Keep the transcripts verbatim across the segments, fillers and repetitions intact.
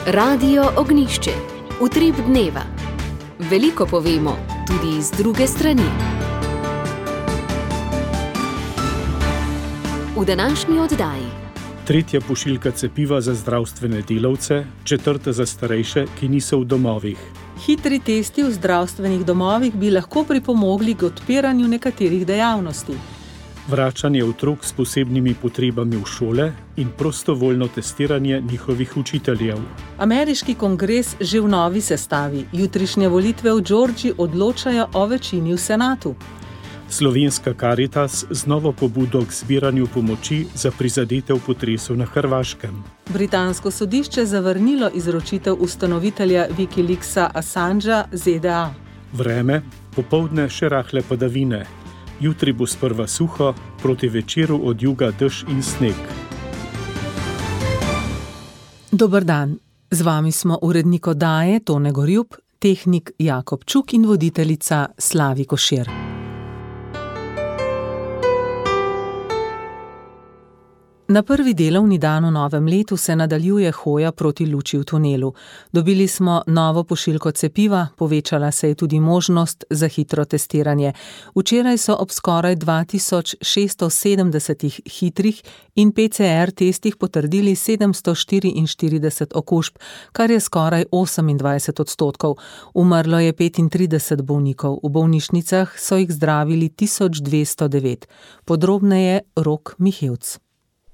Radio Ognjišče. Utrip dneva. Veliko povemo, tudi iz druge strani. V današnji oddaji. Tretja pošiljka cepiva za zdravstvene delavce, četrta za starejše, ki niso v domovih. Hitri testi v zdravstvenih domovih bi lahko pripomogli k odpiranju nekaterih dejavnosti. Vračanje otrok s posebnimi potrebami v šole in prostovoljno testiranje njihovih učiteljev. Ameriški kongres že v novi sestavi. Jutrišnje volitve v Georgiji odločajo o večini v senatu. Slovenska Karitas z novo pobudo k zbiranju pomoči za prizadete v potresu na Hrvaškem. Britansko sodišče zavrnilo izročitev ustanovitelja Wikileaksa Assangea Z D A. Vreme, popoldne še rahle padavine. Jutri bo sprva suho, proti večeru od juga dež in sneg. Dober dan. Z vami smo urednik oddaje Tone Gorjup, tehnik Jakob Čuk in voditeljica Slavi Košir. Na prvi delovni dan v novem letu se nadaljuje hoja proti luči v tunelu. Dobili smo novo pošiljko cepiva, povečala se je tudi možnost za hitro testiranje. Včeraj so ob skoraj dva tisoč šeststo sedemdesetih hitrih in P C R testih potrdili sedemsto štiriinštirideset okužb, kar je skoraj osemindvajset odstotkov. Umrlo je petintrideset bolnikov, v bolnišnicah so jih zdravili tisoč dvesto devet. Podrobneje Rok Mihevc.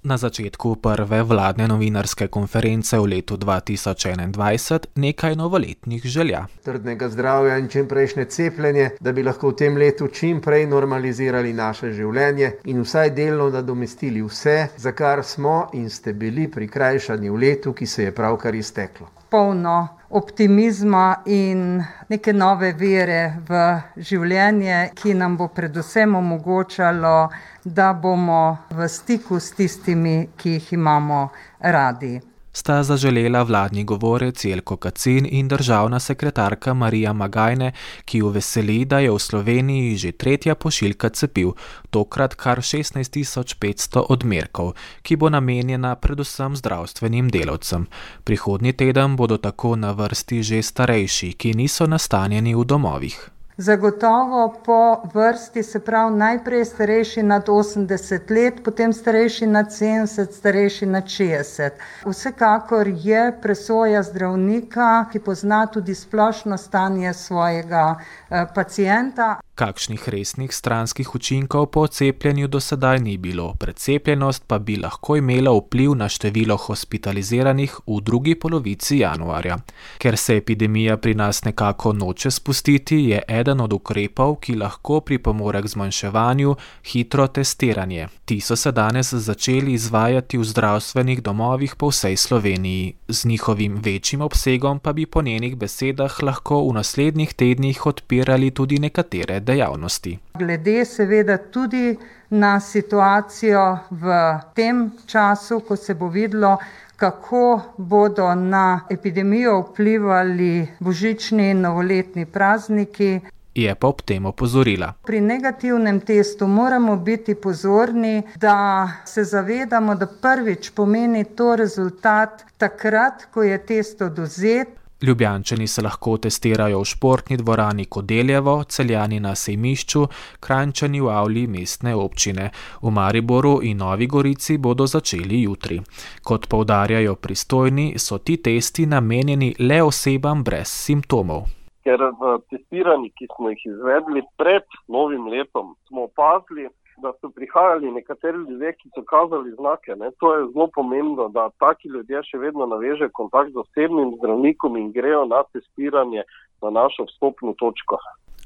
Na začetku prve vladne novinarske konference v letu dva tisoč enaindvajset nekaj novoletnih želja. Trdnega zdravja in čimprejšnje cepljenje, da bi lahko v tem letu čimprej normalizirali naše življenje in vsaj delno nadomestili vse, za kar smo in ste bili prikrajšani v letu, ki se je pravkar izteklo. Polno optimizma in neke nove vere v življenje, ki nam bo predvsem omogočalo, da bomo v stiku s tistimi, ki jih imamo radi. Sta zaželela vladni govorec Jelko Kacin in državna sekretarka Marija Magajne, ki jo veseli, da je v Sloveniji že tretja pošiljka cepiv, tokrat kar šestnajst tisoč petsto odmerkov, ki bo namenjena predvsem zdravstvenim delavcem. Prihodnji teden bodo tako na vrsti že starejši, ki niso nastanjeni v domovih. Zagotovo po vrsti, se pravi najprej starejši nad osemdeset let, potem starejši nad sedemdeset, starejši nad šestdeset. Vsekakor je presoja zdravnika, ki pozna tudi splošno stanje svojega eh, pacienta. Kakšnih resnih stranskih učinkov po cepljenju do sedaj ni bilo, precepljenost pa bi lahko imela vpliv na število hospitaliziranih v drugi polovici januarja. Ker se epidemija pri nas nekako noče spustiti, je eden od ukrepov, ki lahko pripomore k zmanjševanju, hitro testiranje. Ti so se danes začeli izvajati v zdravstvenih domovih po vsej Sloveniji. Z njihovim večjim obsegom pa bi po njenih besedah lahko v naslednjih tednih odpirali tudi nekatere dejavnosti. Glede seveda tudi na situacijo v tem času, ko se bo videlo, kako bodo na epidemijo vplivali božični in novoletni prazniki. Je pa ob tem opozorila. Pri negativnem testu moramo biti pozorni, da se zavedamo, da prvič pomeni to rezultat takrat, ko je test odvzet. Ljubljančani se lahko testirajo v športni dvorani Kodeljevo, Celjani na Sejmišču, Kranjčani v avli mestne občine. V Mariboru in Novi Gorici bodo začeli jutri. Kot poudarjajo pristojni, so ti testi namenjeni le osebam brez simptomov. Ker v testiranjih, ki smo jih izvedli pred novim letom, smo opazili, da so prihajali nekateri ljudje, ki so kazali znake. Ne. To je zelo pomembno, da taki ljudje še vedno navežejo kontakt z osebnim zdravnikom in grejo na testiranje na našo vstopno točko.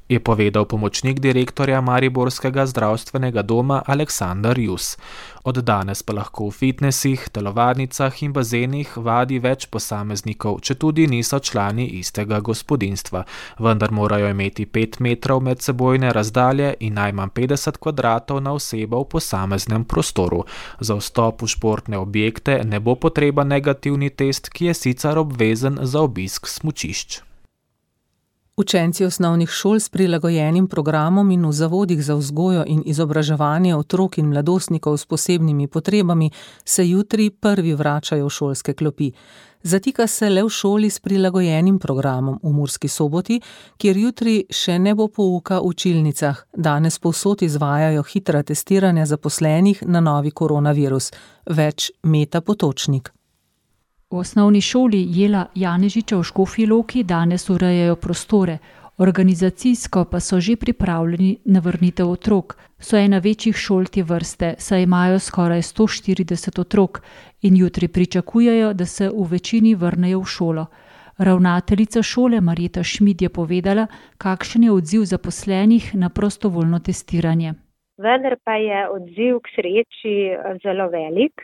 Je povedal pomočnik direktorja Mariborskega zdravstvenega doma Aleksander Jus. Od danes pa lahko v fitnesih, telovadnicah in bazenih vadi več posameznikov, četudi niso člani istega gospodinjstva, vendar morajo imeti pet metrov medsebojne razdalje in najmanj petdeset kvadratov na osebo v posameznem prostoru. Za vstop v športne objekte ne bo potreba negativni test, ki je sicer obvezen za obisk smučišč. Učenci osnovnih šol s prilagojenim programom in v zavodih za vzgojo in izobraževanje otrok in mladostnikov s posebnimi potrebami se jutri prvi vračajo v šolske klopi. Zatika se le v šoli s prilagojenim programom v Murski Soboti, kjer jutri še ne bo pouka v učilnicah. Danes povsod izvajajo hitra testiranja zaposlenih na novi koronavirus. Več Meta Potočnik. V osnovni šoli Jela Janežiča v Škofji Loki danes urejajo prostore, organizacijsko pa so že pripravljeni na vrnitev otrok. So ena večjih šol te vrste, saj imajo skoraj sto štirideset otrok in jutri pričakujejo, da se v večini vrnejo v šolo. Ravnateljica šole Marjeta Šmid je povedala, kakšen je odziv zaposlenih na prostovoljno testiranje. Vendar pa je odziv k sreči zelo velik.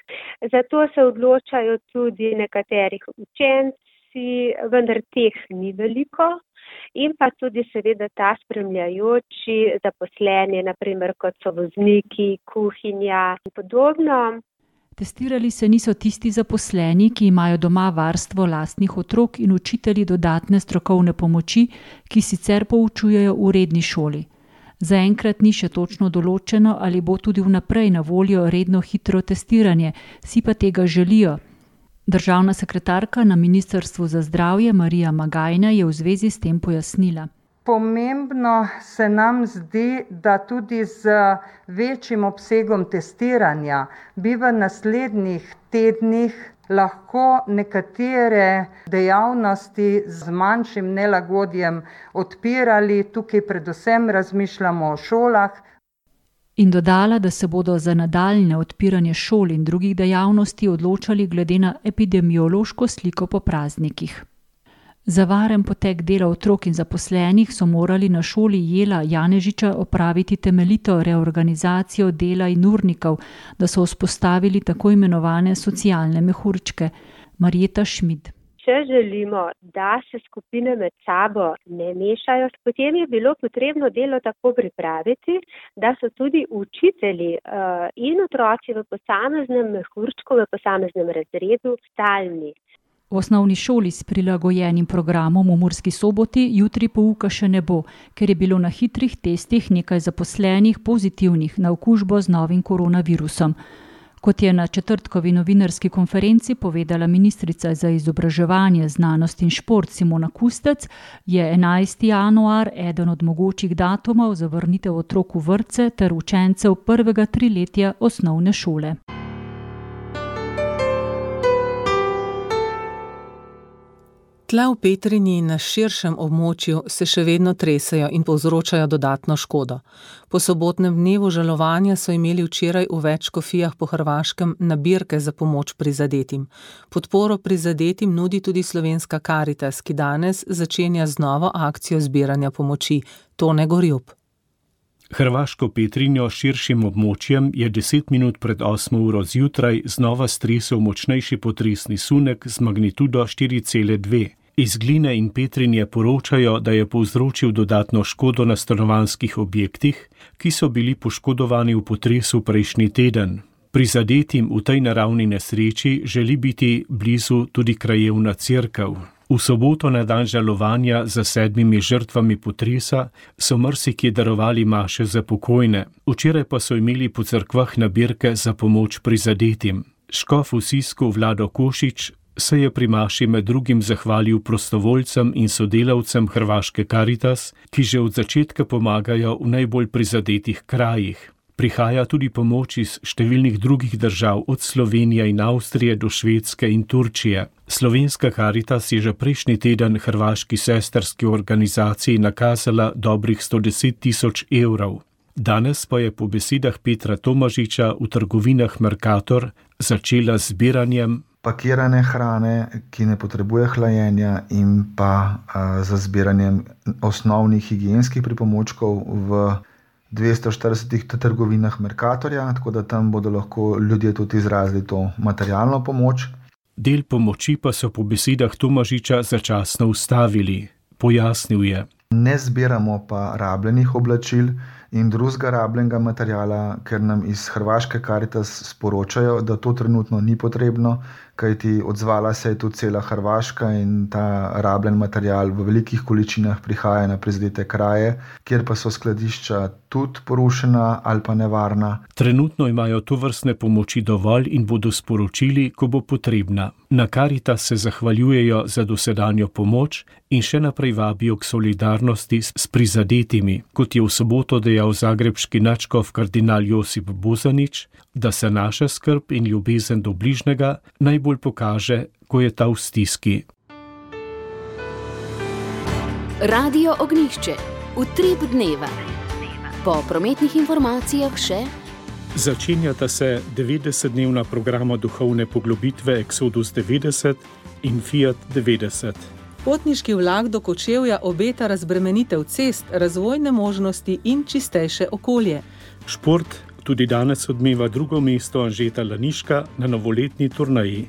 Zato se odločajo tudi nekaterih učenci, vendar teh ni veliko. In pa tudi seveda ta spremljajoči zaposleni, naprimer kot so vozniki, kuhinja in podobno. Testirali se niso tisti zaposleni, ki imajo doma varstvo lastnih otrok in učitelji dodatne strokovne pomoči, ki sicer poučujejo v redni šoli. Zaenkrat ni še točno določeno, ali bo tudi vnaprej na voljo redno hitro testiranje, si pa tega želijo. Državna sekretarka na Ministrstvu za zdravje Marija Magajna je v zvezi s tem pojasnila. Pomembno se nam zdi, da tudi z večjim obsegom testiranja bi v naslednjih tednih lahko nekatere dejavnosti z manjšim nelagodjem odpirali. Tukaj predvsem razmišljamo o šolah. In dodala, da se bodo za nadaljnje odpiranje šol in drugih dejavnosti odločali glede na epidemiološko sliko po praznikih. Za varen potek dela otrok in zaposlenih so morali na šoli Jela Janežiča opraviti temeljito reorganizacijo dela in urnikov, da so vzpostavili tako imenovane socialne mehurčke. Marjeta Šmid. Če želimo, da se skupine med sabo ne mešajo, potem je bilo potrebno delo tako pripraviti, da so tudi učitelji uh, in otroci v posameznem mehurčku, v posameznem razredu stalni. V osnovni šoli s prilagojenim programom v Murski Soboti jutri pouka še ne bo, ker je bilo na hitrih testih nekaj zaposlenih pozitivnih na okužbo z novim koronavirusom. Kot je na četrtkovi novinarski konferenci povedala ministrica za izobraževanje, znanost in šport Simona Kustec, je enajsti januar eden od mogočih datumov za vrnitev otrok v vrtce ter učencev prvega triletja osnovne šole. Tla v Petrinji in na širšem območju se še vedno tresejo in povzročajo dodatno škodo. Po sobotnem dnevu žalovanja so imeli včeraj v več škofijah po Hrvaškem nabirke za pomoč prizadetim. Podporo prizadetim nudi tudi Slovenska Karitas, ki danes začenja z novo akcijo zbiranja pomoči. Tone Gorjup. Hrvaško Petrinjo s širšim območjem je deset minut pred osmo uro zjutraj znova stresel močnejši potresni sunek z magnitudo štiri cela dve. Iz Gline in Petrinje poročajo, da je povzročil dodatno škodo na stanovanjskih objektih, ki so bili poškodovani v potresu prejšnji teden. Prizadetim v tej naravni nesreči želi biti blizu tudi krajevna cerkev. V soboto na dan žalovanja za sedmimi žrtvami potresa so marsikje darovali maše za pokojne. Včeraj pa so imeli po cerkvah nabirke za pomoč prizadetim. Škof v Sisku Vlado Košič se je pri maši med drugim zahvalil prostovoljcem in sodelavcem Hrvaške Karitas, ki že od začetka pomagajo v najbolj prizadetih krajih. Prihaja tudi pomoč iz številnih drugih držav, od Slovenije in Avstrije do Švedske in Turčije. Slovenska Karitas je že prejšnji teden hrvaški sestrski organizaciji nakazala dobrih sto deset tisoč evrov. Danes pa je po besedah Petra Tomažiča v trgovinah Mercator začela z zbiranjem pakirane hrane, ki ne potrebuje hlajenja, in pa a, za zbiranjem osnovnih higienskih pripomočkov v dvesto štiridesetih trgovinah Mercatorja, tako da tam bodo lahko ljudje tudi izrazili to materialno pomoč. Del pomoči pa so po besedah Tomažiča začasno ustavili. Pojasnil je. Ne zbiramo pa rabljenih oblačil, in drugega rabljenega materiala, ker nam iz Hrvaške Karitas sporočajo, da to trenutno ni potrebno, kajti odzvala se je tudi cela Hrvaška in ta rabljen material v velikih količinah prihaja na prizadete kraje, kjer pa so skladišča tudi porušena ali pa nevarna. Trenutno imajo tovrstne pomoči dovolj in bodo sporočili, ko bo potrebna. Na Karitas se zahvaljujejo za dosedanjo pomoč in še naprej vabijo k solidarnosti s prizadetimi, kot je v soboto dejal zagrebški nadškof kardinal Josip Bozanič, da se naša skrb in ljubezen do bližnjega najbolj pokaže, ko je ta v stiski. Radio Ognjišče, utrip dneva. Po prometnih informacijah še Začenjata se devetdesetdnevna programa duhovne poglobitve Exodus devetdeset in Fiat devetdeset. Potniški vlak do Kočevja obeta razbremenitev cest, razvojne možnosti in čistejše okolje. Šport tudi danes odmeva drugo mesto Anžeta Laniška na novoletni turneji.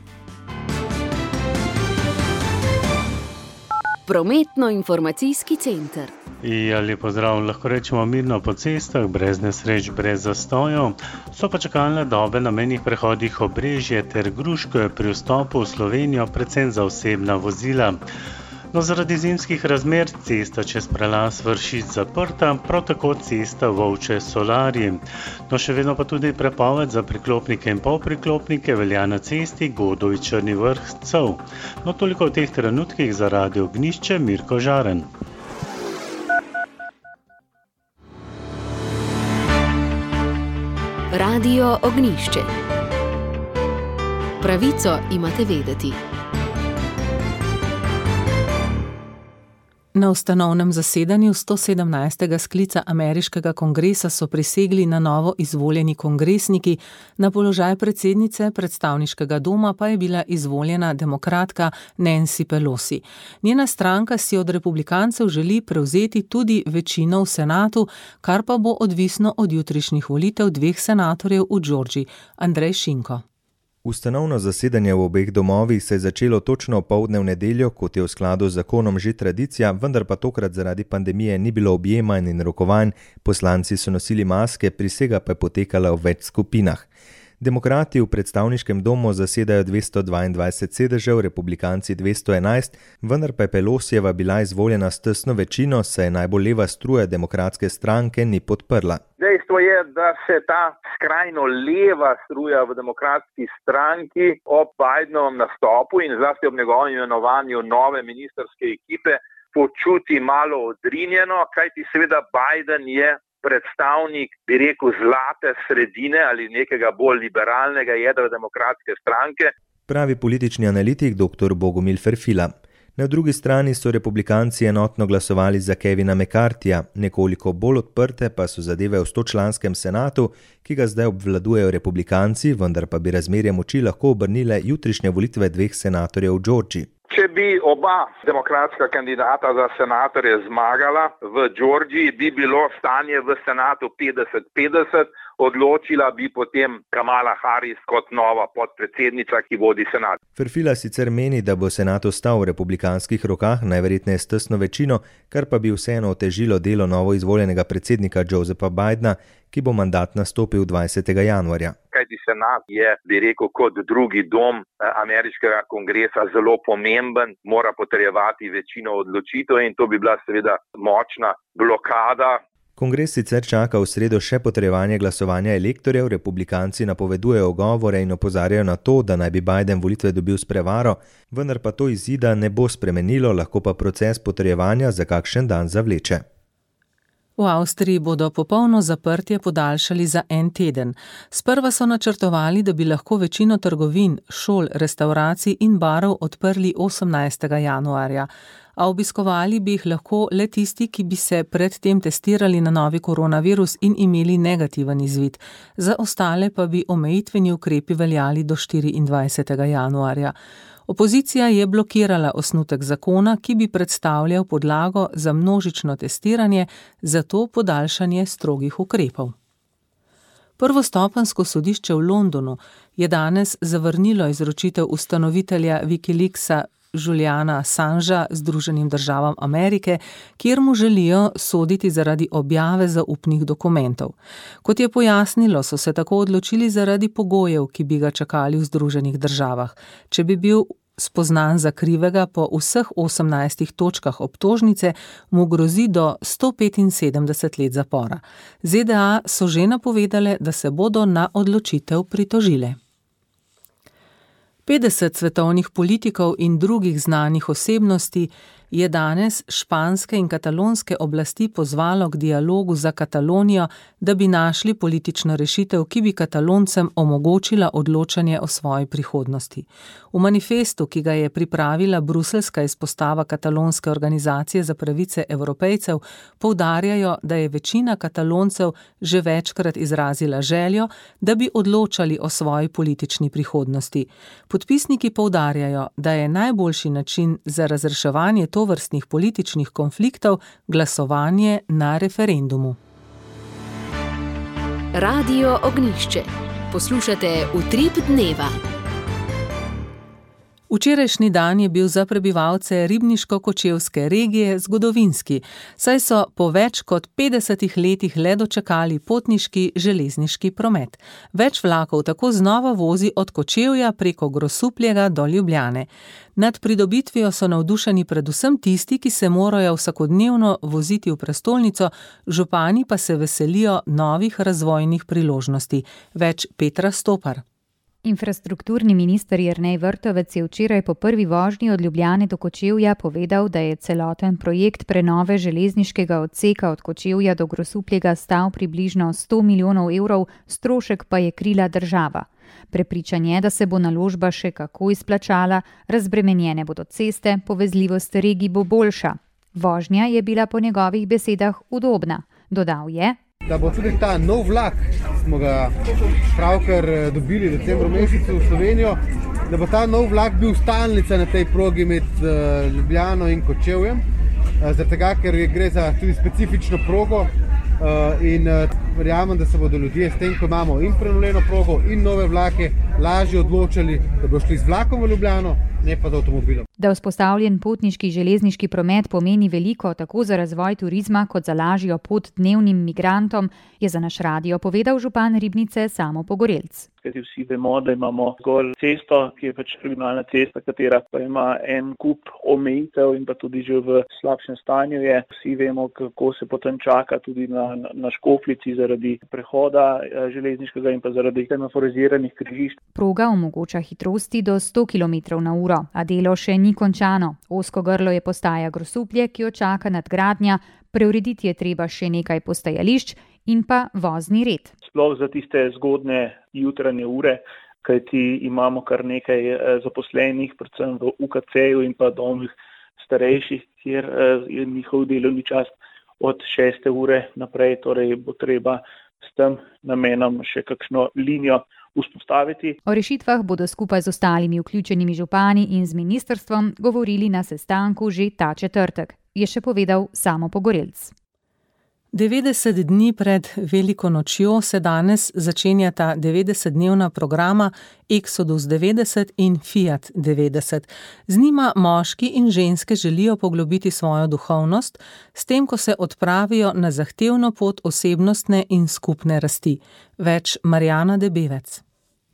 Prometno-informacijski center. Ja, lep pozdrav, lahko rečemo mirno po cestah, brez nesreč, brez zastojev. So pa čakalne dobe na mejnih prehodih Obrežje ter Gruško pri vstopu v Slovenijo, predvsem za osebna vozila. No, zaradi zimskih razmer cesta čez prelaz Vršič zaprta, prav tako cesta Volče Solarji. No, še vedno pa tudi prepoved za priklopnike in polpriklopnike velja na cesti Godovi Črni Vrh Cov. No, toliko v teh trenutkih za Radio Ognjišče, Mirko Žaren. Radio Ognjišče. Pravico imate vedeti. Na ustanovnem zasedanju sto sedemnajstega sklica ameriškega kongresa so prisegli na novo izvoljeni kongresniki, na položaj predsednice predstavniškega doma pa je bila izvoljena demokratka Nancy Pelosi. Njena stranka si od republikancev želi prevzeti tudi večino v senatu, kar pa bo odvisno od jutrišnjih volitev dveh senatorjev v Georgiji. Andrej Šinko. Ustanovno zasedanje v obeh domovih se je začelo točno opoldne v nedeljo, kot je v skladu z zakonom že tradicija, vendar pa tokrat zaradi pandemije ni bilo objemanj in rokovanj, poslanci so nosili maske, prisega pa je potekala v več skupinah. Demokrati v predstavniškem domu zasedajo dvesto dvaindvajset sedežev, republikanci dvesto enajst, vendar pa je Pelosijeva bila izvoljena s tesno večino, saj je najbolj leva struja demokratske stranke ni podprla. Dejstvo je, da se ta skrajno leva struja v demokratski stranki ob Bidenovem nastopu in zlasti ob njegovem imenovanju nove ministrske ekipe počuti malo odrinjeno, kajti seveda Biden je predstavnik, bi rekel, zlate sredine ali nekega bolj liberalnega jedra demokratske stranke. Pravi politični analitik dr. Bogomil Ferfila. Na drugi strani so republikanci enotno glasovali za Kevina McCarthyja, nekoliko bolj odprte pa so zadeve v stočlanskem senatu, ki ga zdaj obvladujejo republikanci, vendar pa bi razmerje moči lahko obrnile jutrišnje volitve dveh senatorjev v Georgiji. Če bi oba demokratska kandidata za senatorje zmagala v Georgiji, bi bilo stanje v senatu petdeset petdeset, odločila bi potem Kamala Harris kot nova podpredsednica, ki vodi senat. Ferfila sicer meni, da bo senat ostal v republikanskih rokah, najverjetneje s tesno večino, kar pa bi vseeno otežilo delo novo izvoljenega predsednika Josepha Bidena, ki bo mandat nastopil dvajsetega januarja. Kajti senat je, bi rekel, kot drugi dom ameriškega kongresa zelo pomemben, mora potrjevati večino odločitev in to bi bila seveda močna blokada. Kongres sicer čaka v sredo še potrjevanje glasovanja elektorjev, republikanci napovedujejo ogovore in opozarjajo na to, da naj bi Biden volitve dobil s prevaro, vendar pa to izida ne bo spremenilo, lahko pa proces potrjevanja za kakšen dan zavleče. V Avstriji bodo popolno zaprtje podaljšali za en teden. Sprva so načrtovali, da bi lahko večino trgovin, šol, restavracij in barov odprli osemnajstega januarja, a obiskovali bi jih lahko le tisti, ki bi se predtem testirali na novi koronavirus in imeli negativen izvid. Za ostale pa bi omejitveni ukrepi veljali do štiriindvajsetega januarja. Opozicija je blokirala osnutek zakona, ki bi predstavljal podlago za množično testiranje, zato podaljšanje strogih ukrepov. Prvostopenjsko sodišče v Londonu je danes zavrnilo izročitev ustanovitelja Wikileaksa Juliana Assangea Združenim državam Amerike, kjer mu želijo soditi zaradi objave zaupnih dokumentov. Kot je pojasnilo, so se tako odločili zaradi pogojev, ki bi ga čakali v Združenih državah. Če bi bil spoznan za krivega po vseh osemnajstih točkah obtožnice, mu grozi do sto petinsedemdeset let zapora. ZDA so že napovedale, da se bodo na odločitev pritožile. petdeset svetovnih politikov in drugih znanih osebnosti je danes španske in katalonske oblasti pozvalo k dialogu za Katalonijo, da bi našli politično rešitev, ki bi Kataloncem omogočila odločanje o svoji prihodnosti. V manifestu, ki ga je pripravila bruseljska izpostava katalonske organizacije za pravice Evropejcev, poudarjajo, da je večina Kataloncev že večkrat izrazila željo, da bi odločali o svoji politični prihodnosti. Podpisniki poudarjajo, da je najboljši način za razreševanje tovrstnih političnih konfliktov glasovanje na referendumu. Radio Ognjišče. Poslušate Utrip dneva. Včerajšnji dan je bil za prebivalce ribniško-kočevske regije zgodovinski, saj so po več kot petdesetih letih le dočakali potniški železniški promet. Več vlakov tako znova vozi od Kočevja preko Grosuplja do Ljubljane. Nad pridobitvijo so navdušeni predvsem tisti, ki se morajo vsakodnevno voziti v prestolnico, župani pa se veselijo novih razvojnih priložnosti. Več Petra Stopar. Infrastrukturni minister Jernej Vrtovec je včeraj po prvi vožnji od Ljubljane do Kočevja povedal, da je celoten projekt prenove železniškega odseka od Kočevja do Grosupljega stal približno sto milijonov evrov, strošek pa je krila država. Prepričan je, da se bo naložba še kako izplačala, razbremenjene bodo ceste, povezljivost regij bo boljša. Vožnja je bila po njegovih besedah udobna. Dodal je, da bo tudi ta nov vlak, smo ga pravkar dobili v decembru mesecu v Slovenijo, da bo ta nov vlak bil stalnica na tej progi med Ljubljano in Kočevjem, zaradi tega, ker gre za tudi specifično progo in verjamem, da se bodo ljudje s tem, ko imamo in prenovljeno progo in nove vlake, lažje odločali, da bo šli z vlakom v Ljubljano, ne pa z avtomobilom. Da vzpostavljen potniški železniški promet pomeni veliko tako za razvoj turizma kot za lažjo pot dnevnim migrantom, je za naš radio povedal župan Ribnice Samo Pogorelc. Kajti vsi vemo, da imamo zgolj cesto, ki je pač regionalna cesta, katera pa ima en kup omejitev in pa tudi že v slabšem stanju je. Vsi vemo, kako se potem čaka tudi na, na Škofljici zaradi prehoda železniškega in pa zaradi semaforiziranih križišč. Proga omogoča hitrosti do sto kilometrov na uro, a delo še ni končano. Ozko grlo je postaja Grosuplje, ki jo čaka nadgradnja, preurediti je treba še nekaj postajališč in pa vozni red. Sploh za tiste zgodne jutranje ure, kajti imamo kar nekaj zaposlenih, predvsem v U K C-ju in pa domih starejših, kjer je njihov delovni čas od šeste ure naprej, torej bo treba s tem namenom še kakšno linijo vzpostaviti. O rešitvah bodo skupaj z ostalimi vključenimi župani in z ministrstvom govorili na sestanku že ta četrtek, je še povedal Samo Pogorelc. devetdeset dni pred veliko nočjo se danes začenjata devetdesetdnevna programa Exodus devetdeset in Fiat devetdeset. Z njima moški in ženske želijo poglobiti svojo duhovnost, s tem, ko se odpravijo na zahtevno pot osebnostne in skupne rasti. Več Marjana Debevec.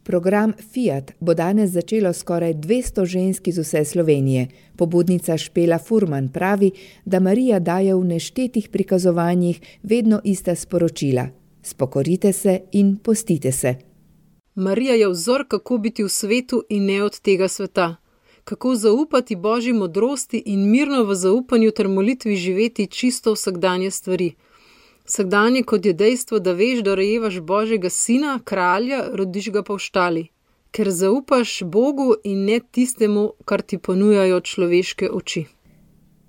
Program Fiat bo danes začelo skoraj dvesto žensk iz vse Slovenije. Pobudnica Špela Furman pravi, da Marija daje v neštetih prikazovanjih vedno ista sporočila. Spokorite se in postite se. Marija je vzor, kako biti v svetu in ne od tega sveta. Kako zaupati Božji modrosti in mirno v zaupanju ter molitvi živeti čisto vsakdanje stvari. Vsakdanje kot je dejstvo, da veš, da rojevaš Božjega sina, kralja, rodiš ga pa v štali. Ker zaupaš Bogu in ne tistemu, kar ti ponujajo človeške oči.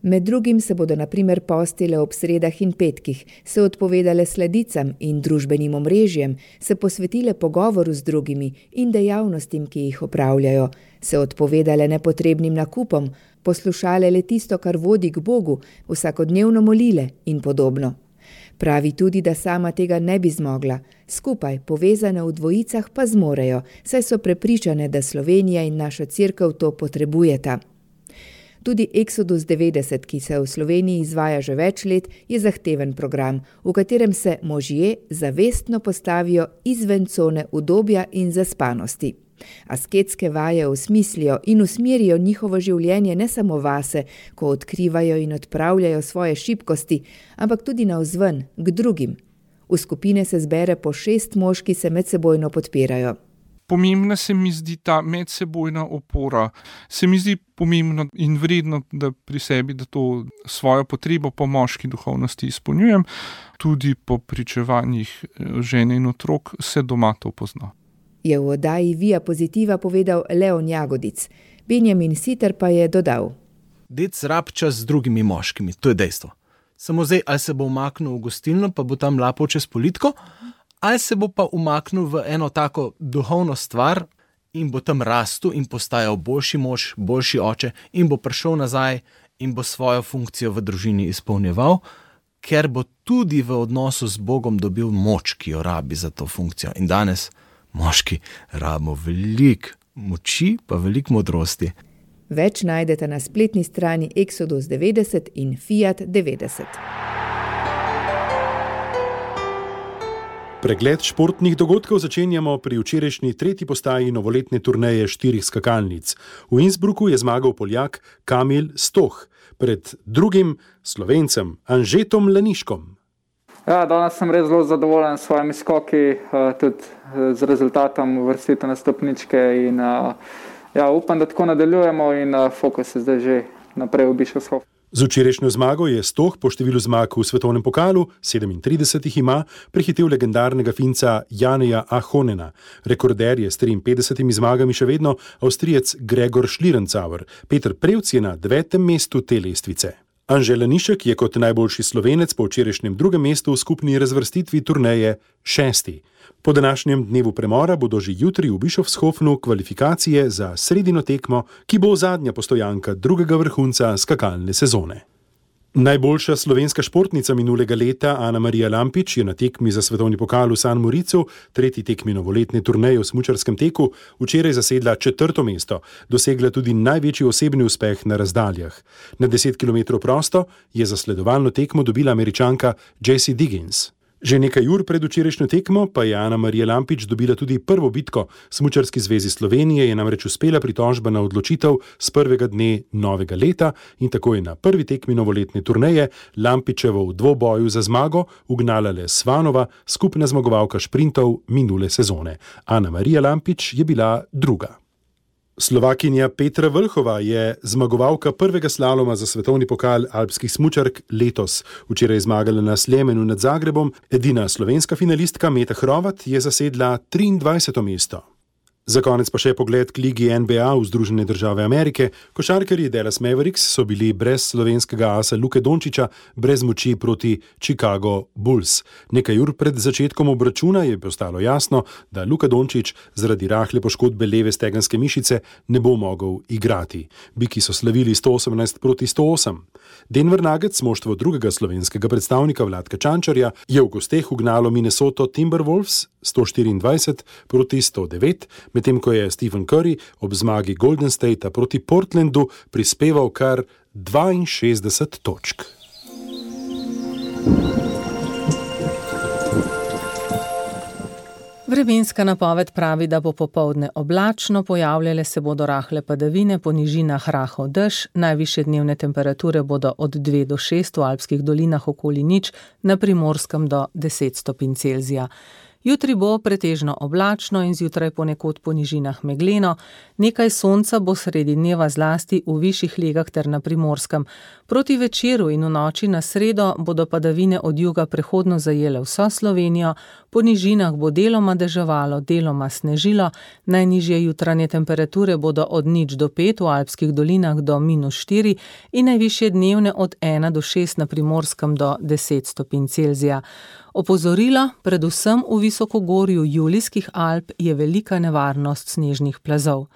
Med drugim se bodo na primer postile ob sredah in petkih, se odpovedale sledicam in družbenim omrežjem, se posvetile pogovoru z drugimi in dejavnostim, ki jih opravljajo, se odpovedale nepotrebnim nakupom, poslušale le tisto, kar vodi k Bogu, vsakodnevno molile in podobno. Pravi tudi, da sama tega ne bi zmogla, skupaj, povezane v dvojicah pa zmorejo, saj so prepričane, da Slovenija in naša cerkev to potrebujeta. Tudi Exodus devetdeset, ki se v Sloveniji izvaja že več let, je zahteven program, v katerem se možje zavestno postavijo izven cone udobja in zaspanosti. Asketske vaje osmislijo in usmerijo njihovo življenje ne samo vase, ko odkrivajo in odpravljajo svoje šibkosti, ampak tudi navzven, k drugim. V skupine se zbere po šest mož, ki se medsebojno podpirajo. Pomembna se mi zdi ta medsebojna opora. Se mi zdi pomembno in vredno, da pri sebi, da to svojo potrebo po moški duhovnosti izpolnjujem. Tudi po pričevanjih žene in otrok se doma to pozna. Je v oddaji Via Pozitiva povedal Leon Jagodic. Benjamin Siter pa je dodal. Dec rab čas z drugimi moškimi, to je dejstvo. Samo zdaj, ali se bo umaknil v gostilno, pa bo tam lapal čez politko, ali se bo pa umaknil v eno tako duhovno stvar in bo tam rastel in postajal boljši mož, boljši oče in bo prišel nazaj in bo svojo funkcijo v družini izpolnjeval, ker bo tudi v odnosu z Bogom dobil moč, ki jo rabi za to funkcijo. In danes moški rabimo veliko moči, pa veliko modrosti. Več najdete na spletni strani Exodus devetdeset in Fiat devetdeset. Pregled športnih dogodkov začenjamo pri včerajšnji tretji postaji novoletne turneje štirih skakalnic. V Innsbrucku je zmagal Poljak Kamil Stoh pred drugim Slovencem Anžetom Laniškom. Ja, danes sem res zelo zadovoljen s svojimi skoki, tudi z rezultatom uvrstitev na stopničke in ja, upam, da tako nadaljujemo in fokus je zdaj že naprej v Bischofshof. Z včerajšnjo zmago je Stoh po številu zmag v svetovnem pokalu, sedemintrideset jih ima, prehitel legendarnega Finca Janeja Ahonena. Rekorder je s triinpetdesetimi zmagami še vedno Avstrijec Gregor Schlierencauer. Peter Prevc je na devetem mestu te lestvice. Anže Lanišek je kot najboljši Slovenec po včerajšnjem drugem mestu v skupni razvrstitvi turneje šesti. Po današnjem dnevu premora bodo že jutri v Bischofshofnu kvalifikacije za sredino tekmo, ki bo zadnja postojanka drugega vrhunca skakalne sezone. Najboljša slovenska športnica minulega leta Ana Marija Lampič je na tekmi za svetovni pokal v San Moricu, tretji tekmi novoletne turneje v smučarskem teku, včeraj zasedla četrto mesto, dosegla tudi največji osebni uspeh na razdaljah. Na deset kilometrov prosto je zasledovalno tekmo dobila Američanka Jessie Diggins. Že nekaj ur pred včerajšnjo tekmo pa je Ana Marija Lampič dobila tudi prvo bitko. Smučarski zvezi Slovenije je namreč uspela pritožba na odločitev z prvega dne novega leta in tako je na prvi tekmi novoletne turneje Lampičevo v dvoboju za zmago ugnala le Svanova, skupna zmagovalka šprintov minule sezone. Ana Marija Lampič je bila druga. Slovakinja Petra Vlhova je zmagovalka prvega slaloma za svetovni pokal alpskih smučark letos. Včeraj je zmagala na Sljemenu nad Zagrebom, edina slovenska finalistka Meta Hrovat je zasedla triindvajseto mesto. Za konec pa še pogled k ligi N B A v Združene države Amerike. Košarkarji Dallas Mavericks so bili brez slovenskega asa Luke Dončića brez moči proti Chicago Bulls. Nekaj ur pred začetkom obračuna je postalo jasno, da Luka Dončić zaradi rahle poškodbe leve stegenske mišice ne bo mogel igrati. Biki so slavili sto osemnajst proti sto osem. Denver Nuggets, moštvo drugega slovenskega predstavnika Vladka Čančarja, je v gosteh ugnalo Minnesota Timberwolves sto štiriindvajset proti sto devet, medtem ko je Stephen Curry ob zmagi Golden Statea proti Portlandu prispeval kar dvainšestdeset točk. Vremenska napoved pravi, da bo popoldne oblačno, pojavljale se bodo rahle padavine, po nižinah rahel dež, najvišje dnevne temperature bodo od dve do šest v alpskih dolinah okoli nič, na Primorskem do deset stopinj Celzija. Jutri bo pretežno oblačno in zjutraj ponekod po nižinah megleno, nekaj sonca bo sredi dneva zlasti v višjih legah ter na Primorskem. Proti večeru in v noči na sredo bodo padavine od juga prehodno zajele vso Slovenijo, po nižinah bo deloma deževalo, deloma snežilo, najnižje jutranje temperature bodo od nič do pet, v alpskih dolinah do minus štiri in najvišje dnevne od ena do šest na Primorskem do deset stopinj Celzija. Opozorilo, predvsem v visokogorju Julijskih Alp je velika nevarnost snežnih plazov.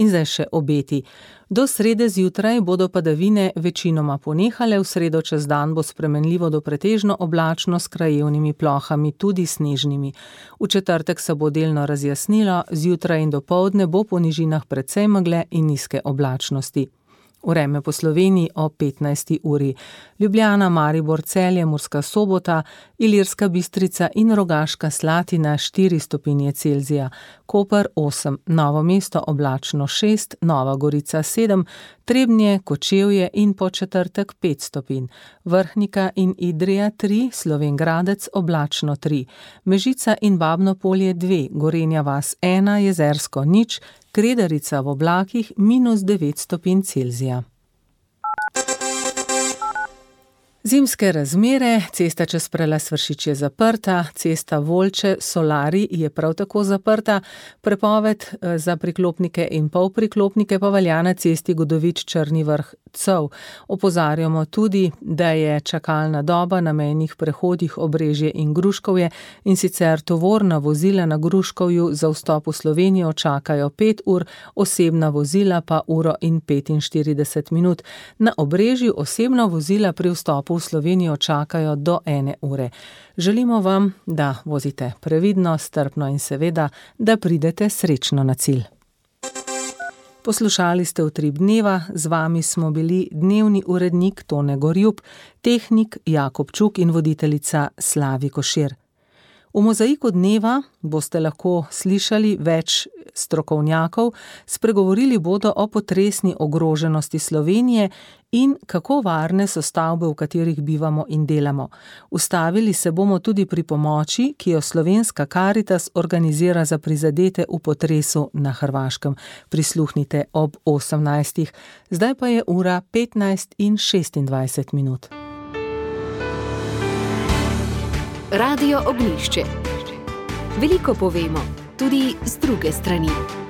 In zdaj še obeti. Do srede zjutraj bodo padavine večinoma ponehale, v sredo čez dan bo spremenljivo do pretežno oblačno s krajevnimi plohami, tudi snežnimi. V četrtek se bo delno razjasnilo, zjutraj in dopoldne bo po nižinah precej megle in nizke oblačnosti. Vreme po Sloveniji o petnajsti uri. Ljubljana, Maribor, Celje, Murska Sobota, Ilirska Bistrica in Rogaška Slatina štiri stopinje Celzija, Koper osem, Novo mesto oblačno šest, Nova Gorica sedem, Trebnje, Kočevje in Podčetrtek pet stopinj, Vrhnika in Idrija tri, Slovenj Gradec oblačno tri, Mežica in Babno Polje dve, Gorenja vas ena, Jezersko nič, Kredarica v oblakih minus devet stopinj Celzija. Zimske razmere, cesta čez Prelaz Vršič je zaprta, cesta Volče Solari je prav tako zaprta, prepoved za priklopnike in polpriklopnike pa velja na cesti Godovič Črni Vrh Cov. Opozarjamo tudi, da je čakalna doba na mejnih prehodih Obrežje in Gruškovje, in sicer tovorna vozila na Gruškovju za vstop v Slovenijo čakajo pet ur, osebna vozila pa uro in petinštirideset minut. Na Obrežju osebna vozila pri vstopu v Slovenijo čakajo do ene ure. Želimo vam, da vozite previdno, strpno in seveda, da pridete srečno na cilj. Poslušali ste Utrip dneva, z vami smo bili dnevni urednik Tone Gorjup, tehnik Jakob Čuk in voditeljica Slavi Košir. V Mozaiku dneva boste lahko slišali več strokovnjakov, spregovorili bodo o potresni ogroženosti Slovenije in kako varne so stavbe, v katerih bivamo in delamo. Ustavili se bomo tudi pri pomoči, ki jo Slovenska Karitas organizira za prizadete v potresu na Hrvaškem. Prisluhnite ob osemnajstih. Zdaj pa je ura petnajst in šestindvajset minut. Radio Ognjišče. Veliko povemo, tudi z druge strani.